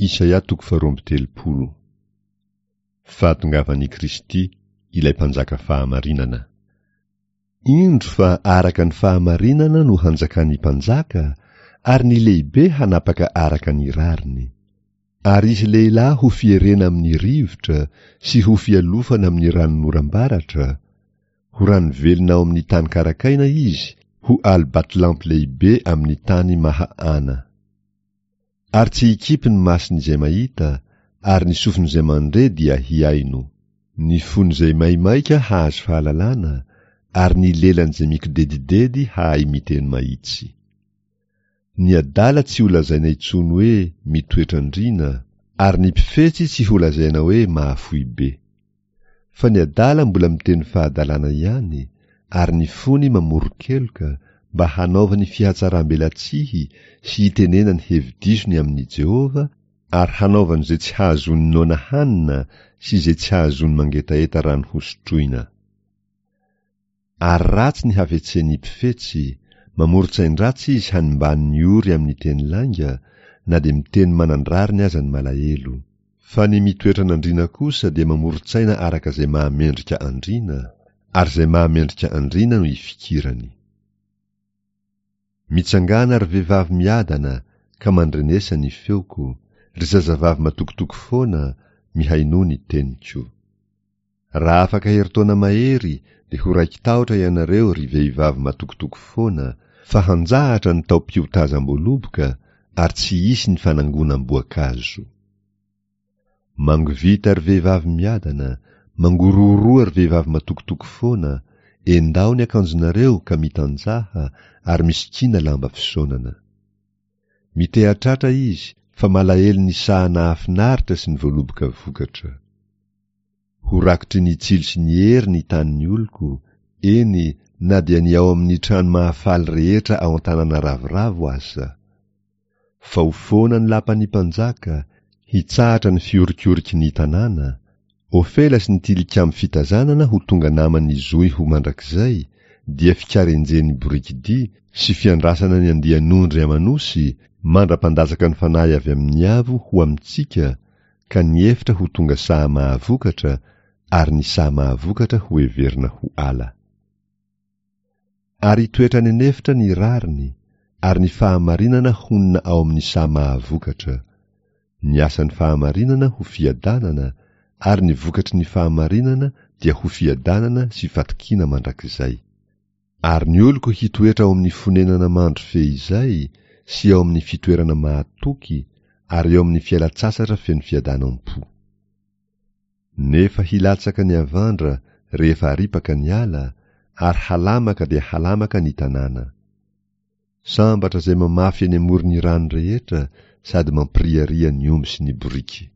Isaia toko faharoa amby 30. Fahatongavan'i Kristy, ilay Mpanjaka fahamarinana. Indro fa araka ny fahamarinana no hanjakan'ny mpanjaka, ary ny lehibe hanapaka araka ny rariny. Ary hisy lehilahy ho fierena amin'ny rivotra sy ho fialofana amin'ny ranonoram-baratra, ho rano velona ao amin'ny tany karakaina izy, ho alo-batolampy lehibe amin'ny tany maha-ana. Ary tsy hikipy ny mason'izay mahita, ary ny sofin'izay mandre dia hihaino. Ny fon'izay maimaika hahazo fahalalana, ary ny lelan'izay mikodedidedy hahay miteny mahitsy. Ny adala tsy holazaina intsony hoe mitoetra andriana, ary ny mpifetsy tsy holazaina hoe mahafoy be. Fa ny adala mbola miteny fahadalana ihany, ary ny fony mamoron-keloka, mba hanaovany fihatsaram-belatsihy sy hitenenany hevi-diso ny amin'i Jehovah, ary hanaovany izay tsy hahazoany noana hanina sy izay tsy hahazoany mangetaheta rano hosotroina. Ary ratsy ny hafetsen'ny mpifetsy, mamoron-tsain-dratsy izy hanimbany ny ory amin'ny teny lainga, na dia miteny manan-drariny aza ny malahelo. Fa ny mitoetra an'andriana kosa dia mamoron-tsaina araka izay mahamendrika andriana, ary izay mahamendrika andriana no ifikirany. Mitsangàna ry vehivavy miadana ka mandrenesa ny feoko, ry zazavavy matokitoky foana, mihainoa ny teniko. Raha afaka herintaona mahery dia ho raiki-tahotra ianareo ry vehivavy matokitoky foana fa hanjahatra ny taom-piotazam-boaloboka ary tsy hisy ny fanangonam-boankazo. Mangovita ry vehivavy miadana, mangorohoroa ry vehivavy matokitoky foana, endaho ny akanjonareo ka mitanjaha ary misikina lamba fisaonana. Miteha-tratra izy fa malahelo ny saha nahafinaritra sy ny voaloboka vokatra. Ho rakotry ny tsilo sy ny hery ny tanin'ny oloko, eny, na dia ny ao amin'ny trano mahafaly rehetra ao an-tanàna ravoravo aza. Fa ho foana ny lapan'ny mpanjaka, hitsahatra ny fihorikoriky ny tanàna, Ofela sy ny tilikambo fitazanana ho tonga naman'ny zohy ho mandrakizay, dia fikarenjen'ny borikidia sy fiandrasana ny andian'ondry aman'osy mandra-pandatsaka ny fanahy avy amin'ny avo ho amintsika, ka ny efitra ho tonga saha mahavokatra ary ny saha mahavokatra ho heverina ho ala. Ary hitoetra any an'efitra ny rariny, ary ny fahamarinana honina ao amin'ny saha mahavokatra. Ny asan'ny fahamarinana ho fiadanana, ary ny vokatry ny fahamarinana dia ho fiadanana sy fatokiana mandrakizay. Ary ny oloko hitoetra ao amin'ny fonenana mandry feizay sy ao amin'ny fitoerana mahatoky ary ao amin'ny fialan-tsasatra feno fiadanam-po. Nefa hilatsaka ny havandra rehefa aripaka ny ala, ary halamaka dia halamaka ny tanàna. Sambatra izay mamafy eny amoron'ny rano rehetra sady mampiriaria ny omby sy ny boriky.